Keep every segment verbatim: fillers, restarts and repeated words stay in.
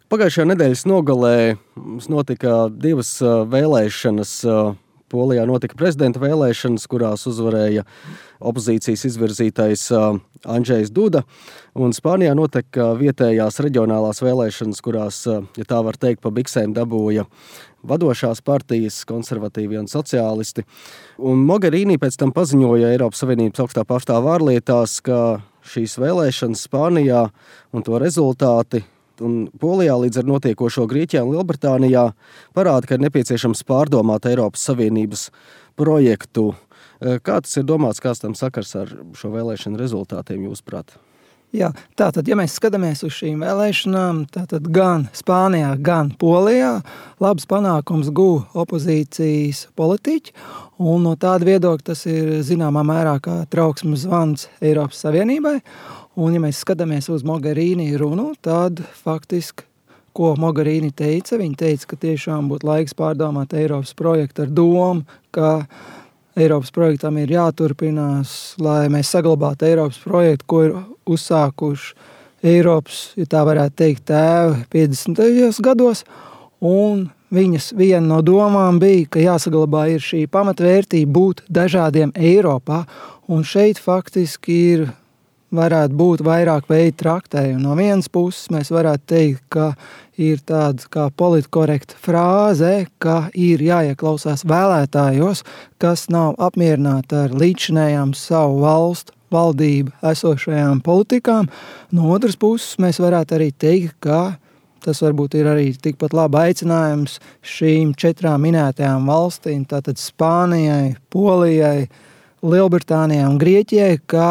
Pagājušajā nedēļas nogalē mums notika divas vēlēšanas. Polijā notika prezidenta vēlēšanas, kurās uzvarēja opozīcijas izvirzītais Andžejs Duda, un Spānijā notika vietējās reģionālās vēlēšanas, kurās, ja tā var teikt, pa biksēm dabūja vadošās partijas, konservatīvi un sociālisti. Un Mogherini pēc tam paziņoja Eiropas Savienības augstā pārstāve ārlietās, ka šīs vēlēšanas Spānijā un to rezultāti un Polijā līdz ar notiekošo Grieķijā un Lielbritānijā parāda, ka ir nepieciešams pārdomāt Eiropas Savienības projektu. Kā tas ir domāts, kāds tam sakars ar šo vēlēšanu rezultātiem jūsuprāt? Jā, tātad, ja mēs skatāmies uz šīm vēlēšanām, tātad gan Spānijā, gan Polijā labs panākums guva opozīcijas politiķi, un no tāda viedokļa tas ir zināmā mērā kā trauksmes zvans Eiropas Savienībai. Un, ja mēs skatāmies uz Mogherini runu, tad faktiski, ko Mogherini teica, viņa teica, ka tiešām būtu laiks pārdomāt Eiropas projektu ar domu, ka Eiropas projektam ir jāturpinās, lai mēs saglabātu Eiropas projektu, ko ir uzsākuši Eiropas, ja tā varētu teikt, tēvi piecdesmitajos gados. Un viņas viena no domām bija, ka jāsaglabā ir šī pamatvērtība būt dažādiem Eiropā. Un šeit faktiski ir varētu būt vairāk veidu traktējumi. No vienas puses mēs varētu teikt, ka ir tāda kā politkorekta frāze, ka ir jāieklausās vēlētājos, kas nav apmierināti ar līdzinējām savu valstu valdību esošajām politikām. No otras puses mēs varētu arī teikt, ka tas varbūt ir arī tikpat labi aicinājums šīm četrām minētajām valstīm, tātad Spānijai, Polijai, Lielbritānijai un Grieķijai, ka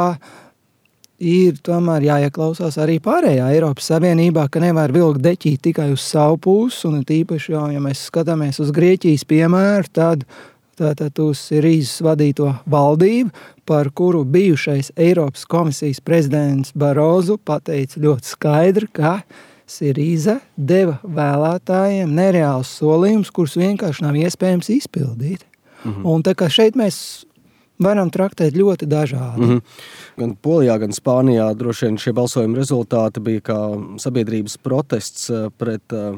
ir tomēr jāieklausās arī pārējā Eiropas Savienībā, ka nevar vilkt deķīt tikai uz savu pusi, un tīpaši jau, ja mēs skatāmies uz Grieķijas piemēru, tad tātad uz Sirīzes vadīto valdību, par kuru bijušais Eiropas komisijas prezidents Barozu pateica ļoti skaidri, ka Sirīza deva vēlētājiem nereāls solījums, kurus vienkārši nav iespējams izpildīt. Mhm. Un tā kā šeit mēs varam traktēt ļoti dažādi. Mm-hmm. Gan Polijā, gan Spānijā droši vien šie balsojuma rezultāti bija kā sabiedrības protests pret uh,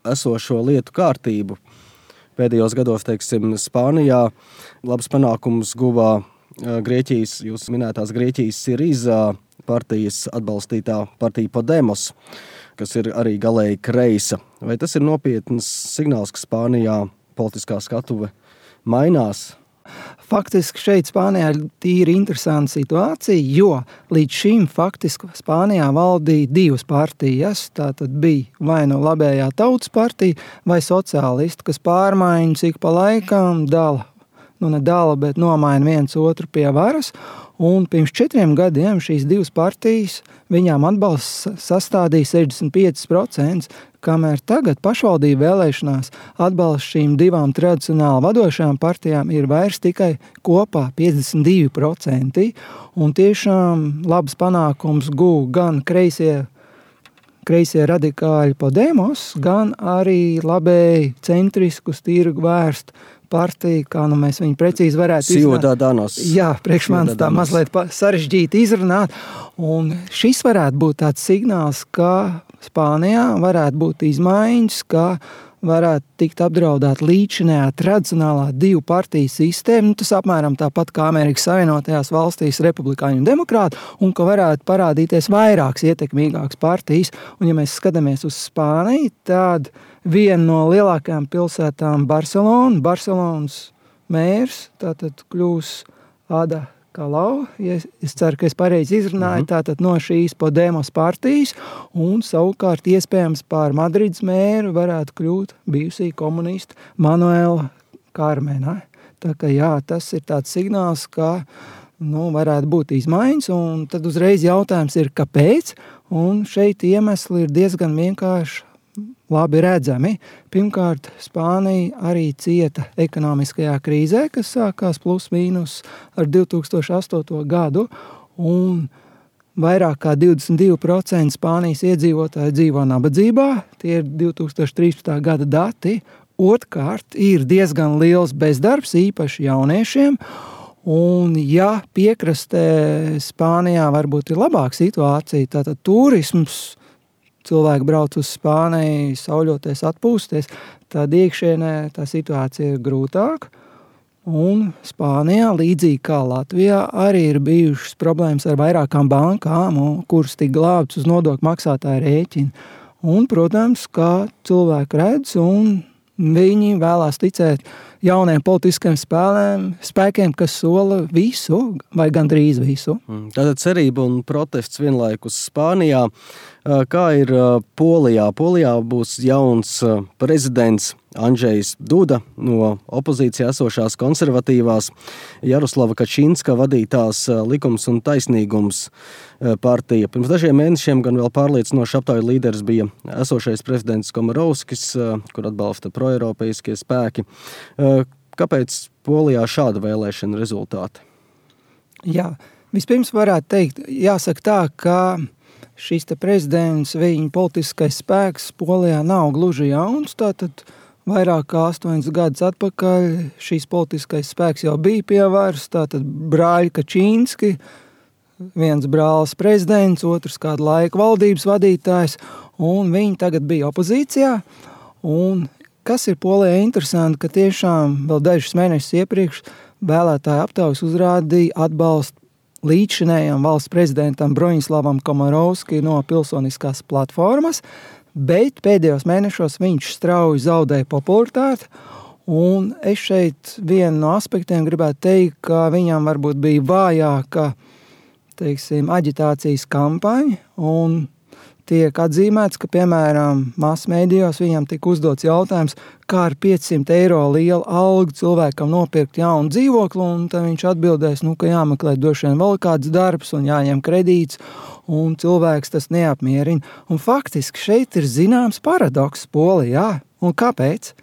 esošo lietu kārtību. Pēdējos gados, teiksim, Spānijā labs panākums guvā uh, Grieķijas, jūs minētās Grieķijas Sirīzā partijas atbalstītā partija Podemos, kas ir arī galēji kreisa. Vai tas ir nopietns signāls, ka Spānijā politiskā skatuve mainās? Faktiski šeit Spānijā ir tīri interesanta situācija, jo līdz šim faktiski Spānijā valdīja divas partijas, tātad bija vai no labējā tautas partija vai sociālisti, kas pārmaiņas ik pa laikam dala, nu ne dala, bet nomaina viens otru pie varas, un pirms četriem gadiem šīs divas partijas viņām atbalsts sastādīja sešdesmit pieci procenti, kamēr tagad pašvaldību vēlēšanās atbalsts šīm divām tradicionāli vadošajām partijām ir vairs tikai kopā piecdesmit divi procenti, un tiešām labs panākums guva gan kreisie, kreisie radikāļi Podemos, gan arī labēji centriskus tirgu vērst partija, kā nu mēs viņu precīzi varētu izrunāt. Jā, priekš manis tā mazliet sarežģīti izrunāt, un šis varētu būt tāds signāls, ka Spānijā varētu būt izmaiņas, ka varētu tikt apdraudēt līdzinējā tradicionālā divu partiju sistēma, nu, tas apmēram tāpat kā Amerikas Savienotajās valstīs republikāņu un demokrāti, un ka varētu parādīties vairākas ietekmīgākas partijas, un ja mēs skatāmies uz Spāniju, tad viena no lielākajām pilsētām Barcelona, Barcelonas mērs, tātad kļūs Ada Colau, ja es ceru, ka es pareizi izrunāju, mm-hmm. tātad no šīs Podemos partijas, un savukārt iespējams pār Madrides mēru varētu kļūt bijusī komunista Manuela Carmena. Tā kā jā, tas ir tāds signāls, ka nu, varētu būt izmaiņas, un tad uzreiz jautājums ir, kāpēc, un šeit iemesli ir diezgan vienkārši labi redzami. Pirmkārt, Spānija arī cieta ekonomiskajā krīzē, kas sākās plus mīnus ar divi tūkstoši astoto gadu, un vairāk kā divdesmit divi procenti Spānijas iedzīvotāji dzīvo nabadzībā, tie ir divi tūkstoši trīspadsmitā gada dati. Otrkārt, ir diezgan liels bezdarbs, īpaši jauniešiem, un ja piekrastē Spānijā varbūt ir labāka situācija, tātad turisms cilvēki brauc uz Spāniju, sauļoties, atpūsties, tad iekšienē tā situācija ir grūtāka. Un Spānijā, līdzīgi kā Latvijā, arī ir bijušas problēmas ar vairākām bankām, kuras tik glābtas uz nodokļu maksātāju rēķinu. Un, protams, kā cilvēki redz, un viņi vēlās ticēt jauniem politiskiem spēlēm, spēkiem, kas sola visu, vai gandrīz visu. Tātad cerība un protests vienlaikus Spānijā. Kā ir Polijā? Polijā būs jauns prezidents Andžejs Duda no opozīcijā esošās konservatīvās Jaroslava Kačinska vadītās Likums un taisnīgums partija. Pirms dažiem mēnešiem gan vēl pārliecinoši aptauju līderis bija esošais prezidents Komarovskis, kur atbalsta proeiropeiskie spēki. Kāpēc Polijā šāda vēlēšana rezultāti? Jā, vispirms varētu teikt, jāsaka tā, ka šis te prezidents, viņa politiskais spēks Polijā nav gluži jauns, tātad vairāk kā astoņus gadus atpakaļ šīs politiskais spēks jau bija pie varas, tātad brāļi Kačinski, viens brālis prezidents, otrs kādu laiku valdības vadītājs, un viņi tagad bija opozīcijā, un kas ir Polijā interesanti, ka tiešām vēl dažus mēnešus iepriekš vēlētāju aptaujas uzrādīja atbalstu līdzšinējam valsts prezidentam Broņislavam Komarovski no pilsoniskās platformas, bet pēdējos mēnešos viņš strauji zaudēja popularitāti, un es šeit vienu no aspektiem gribētu teikt, ka viņam varbūt bija vājāka, teiksim, aģitācijas kampaņa, un tiek atzīmēts, ka, piemēram, masmēdijos viņam tika uzdots jautājums, kā ar piecsimt eiro lielu algu cilvēkam nopirkt jaunu dzīvokli, un tad viņš atbildēs, nu, ka jāmeklē droši vien vēl kāds darbs un jāņem kredīts, un cilvēks tas neapmierina. Un faktiski šeit ir zināms paradoks Polijā. Un kāpēc?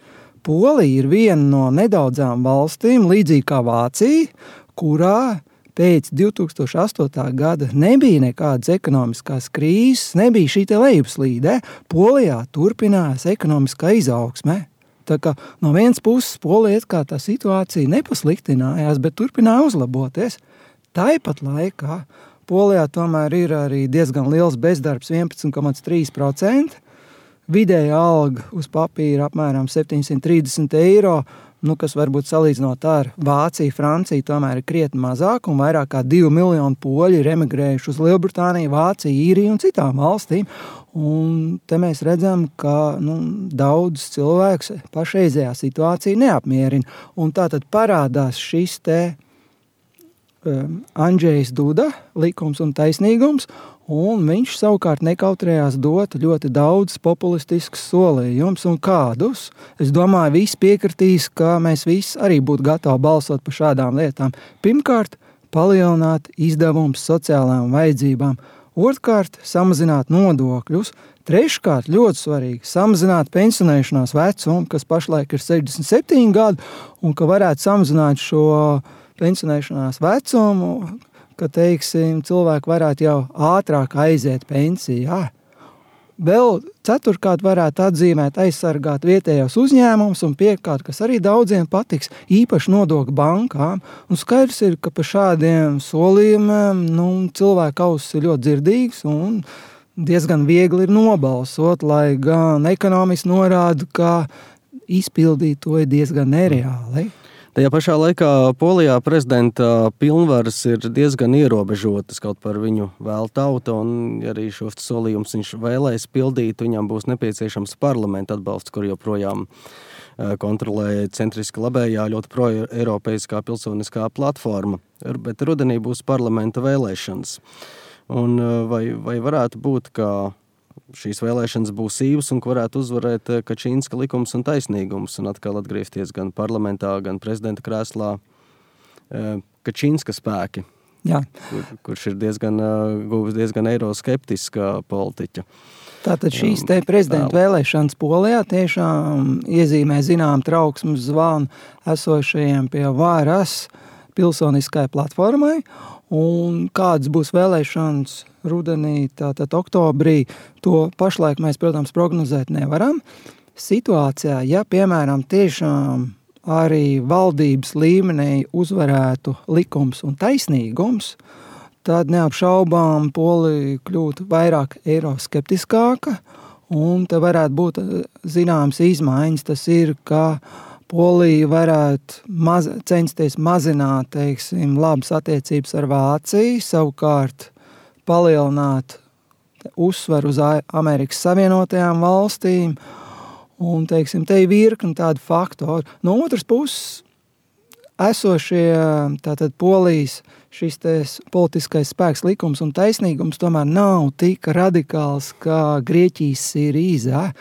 Polija ir viena no nedaudzām valstīm, līdzīgi kā Vācija, kurā pēc divi tūkstoši astotā gada nebija nekādas ekonomiskās krīzes, nebija šī te lejupslīde. Polijā turpinājās ekonomiskā izaugsme. Tā kā no vienas puses Polijā kā tā situācija nepasliktinājās, bet turpināja uzlaboties. Tāpat laikā Polijā tomēr ir arī diezgan liels bezdarbs, vienpadsmit komats trīs procenti. Vidēja alga uz papīra apmēram septiņsimt trīsdesmit eiro, nu, kas varbūt salīdzinot ar Vāciju, Franciju, tomēr ir krietni mazāk, un vairāk kā divi miljoni poļi ir emigrējuši uz Lielbritāniju, Vāciju, Īriju un citām valstīm. Un te mēs redzam, ka nu, daudz cilvēks pašreizējā situācija neapmierina. Un tātad parādās šis te um, Andžejs Duda, Likums un taisnīgums, un viņš savukārt nekautrējās dot ļoti daudz populistiskus solījumus un kādus. Es domāju, visi piekritīs, ka mēs visi arī būtu gatavi balsot par šādām lietām. Pirmkārt, palielināt izdevumus sociālām vajadzībām. Otrkārt, samazināt nodokļus. Treškārt, ļoti svarīgi, samazināt pensionēšanās vecumu, kas pašlaik ir sešdesmit septiņi gadi, un ka varētu samazināt šo pensionēšanās vecumu, ka, teiksim, cilvēki varētu jau ātrāk aiziet pensijā. Vēl ceturkārt varētu atzīmēt aizsargāt vietējos uzņēmumus un piekārt, kas arī daudziem patiks, īpaši nodokļu bankām. Un skaidrs ir, ka par šādiem solījumiem nu, cilvēku ausis ir ļoti dzirdīgs un diezgan viegli ir nobalsot, lai gan ekonomisti norāda, ka izpildīt to ir diezgan nereāli. Tajā pašā laikā Polijā prezidenta pilnvaras ir diezgan ierobežotas, kaut par viņu vēl tauta, un arī šos solījumus viņš vēlēs pildīt, viņam būs nepieciešams parlamenta atbalsts, kur joprojām kontrolē centriski labējā, ļoti pro-eiropeiskā pilsoniskā platforma, bet rudenī būs parlamenta vēlēšanas. Un vai, vai varētu būt, ka šīs vēlēšanas būs īvas un ka varētu uzvarēt Kačinska Likums un taisnīgums un atkal atgriezties gan parlamentā, gan prezidenta krēslā Kačinska spēki, Jā. Kur, kurš ir diezgan, guvis diezgan eiroskeptiska politiķa. Tātad šīs te prezidenta vēlēšanas Polijā tiešām iezīmē zinām trauksmes zvanu esošajiem pie varas pilsoniskai platformai, un kādas būs vēlēšanas rudenī, tātad oktobrī, to pašlaik mēs, protams, prognozēt nevaram. Situācijā, ja, piemēram, tiešām arī valdības līmenī uzvarētu likums un taisnīgums, tad neapšaubām Polija kļūtu vairāk eiroskeptiskāka, un te varētu būt zināmas izmaiņas. Tas ir, ka Polija varētu maz, censties mazināt, teiksim, labas attiecības ar Vāciju, savukārt palielināt uzsveru uz Amerikas Savienotajām valstīm, un, teiksim, te ir virkni tādu faktoru. No otras puses, esošie tātad Polijas šis te politiskais spēks, likums un taisnīgums tomēr nav tik radikāls kā Grieķijas Sirīzā.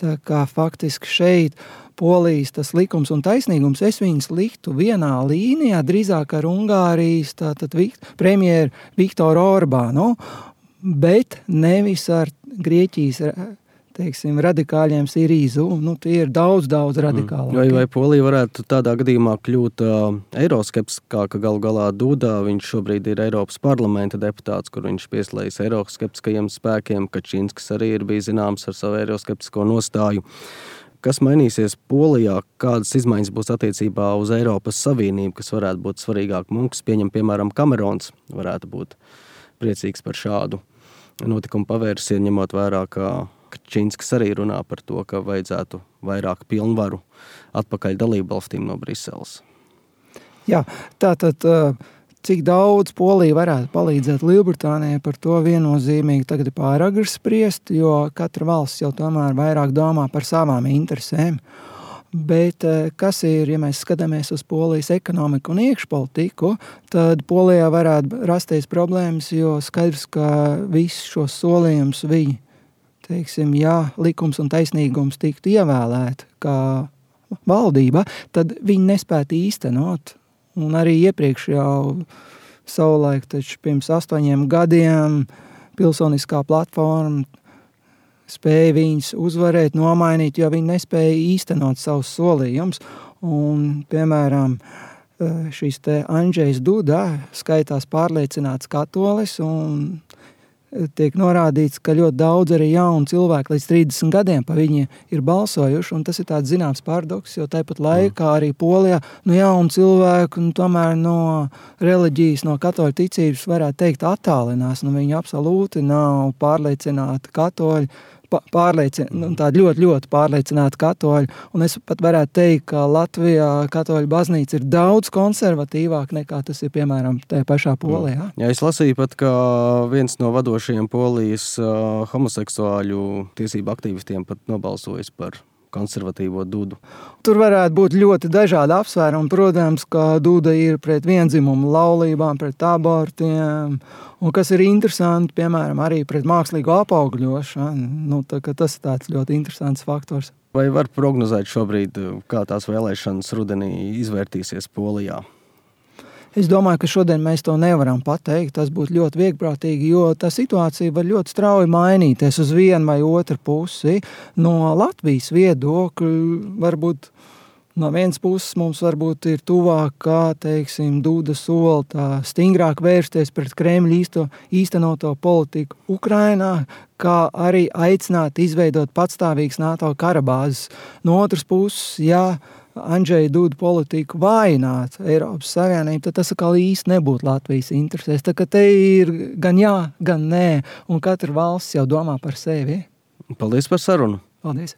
Tā kā faktiski šeit Polijas tas likums un taisnīgums, es viņus liktu vienā līnijā, drīzāk ar Ungārijas tātad premjeru Viktoru Orbānu, bet nevis ar Grieķijas, teiksim, radikāļiem Sirīzu. Nu, tie ir daudz, daudz radikālāki. Vai, vai Polija varētu tādā gadījumā kļūt uh, eiroskeptiskāka galu galā Duda? Viņš šobrīd ir Eiropas parlamenta deputāts, kur viņš pieslējas eiroskeptiskajiem spēkiem. Kačinskis arī ir bijis zināms ar savu eiroskeptisko nostāju. Kas mainīsies Polijā? Kādas izmaiņas būs attiecībā uz Eiropas Savienību, kas varētu būt svarīgāk? Mums pieņem, piemēram, Kamerons varētu būt priecīgs par šādu notikumu pavērsienu, ņemot vērā, ka Kačinskis arī runā par to, ka vajadzētu vairāk pilnvaru atpakaļ dalību valstīm no Briseles. Jā, tātad cik daudz Polija varētu palīdzēt Lielbritānijai, par to viennozīmīgi tagad ir pāragri spriest, jo katra valsts jau tomēr vairāk domā par savām interesēm. Bet kas ir, ja mēs skatāmies uz Polijas ekonomiku un iekšpolitiku, tad Polijā varētu rasties problēmas, jo skaidrs, ka visus šos solījumus viņi, teiksim, ja likums un taisnīgums tiktu ievēlēt kā valdība, tad viņi nespētu īstenot. Un arī iepriekš jau savulaik, taču pirms astoņiem gadiem pilsoniskā platforma spēja viņus uzvarēt, nomainīt, jo viņi nespēja īstenot savus solījumus. Un, piemēram, šis te Andžejs Duda skaitās pārliecināts katolis un tiek norādīts, ka ļoti daudz arī jaunu cilvēku līdz trīsdesmit gadiem pa viņiem ir balsojuši, un tas ir tāds zināms paradoks, jo tāpat laikā arī Polijā nu, jaunu cilvēku nu, tomēr no reliģijas, no katoļu ticības varētu teikt attālinās, nu viņi absolūti nav pārliecināti katoļi, pārliecin, nu, tādi ļoti, ļoti pārliecināti katoļi, un es pat varētu teikt, ka Latvijā katoļu baznīca ir daudz konservatīvāk nekā tas ir, piemēram, tajā pašā Polijā. Jā, es lasīju pat, ka viens no vadošajiem Polijas uh, homoseksuāļu tiesību aktīvistiem pat nobalsojis par konservatīvo Dudu. Tur varētu būt ļoti dažādi apsvērumi. Protams, ka Duda ir pret viendzimumu laulībām, pret abortiem, un kas ir interesanti, piemēram, arī pret mākslīgo apaugļošanu. Nu, tā, tas ir tāds ļoti interesants faktors. Vai var prognozēt šobrīd, kā tās vēlēšanas rudenī izvērtīsies Polijā? Es domāju, ka šodien mēs to nevaram pateikt. Tas būtu ļoti viegprātīgi, jo tā situācija var ļoti strauji mainīties uz vienu vai otru pusi. No Latvijas viedokļa varbūt no vienas puses mums varbūt ir tuvāk, kā, teiksim, Duda sola tā stingrāk vērsties pret Kremļa īsto, īstenoto politiku Ukrainā, kā arī aicināt izveidot patstāvīgas NATO karabāzes. No otras puses, ja Andžeja Duda politiku vājināt Eiropas Savienību, tad tas atkal īsti nebūtu Latvijas interesēs. Tā kā te ir gan jā, gan nē, un katra valsts jau domā par sevi. Paldies par sarunu. Paldies.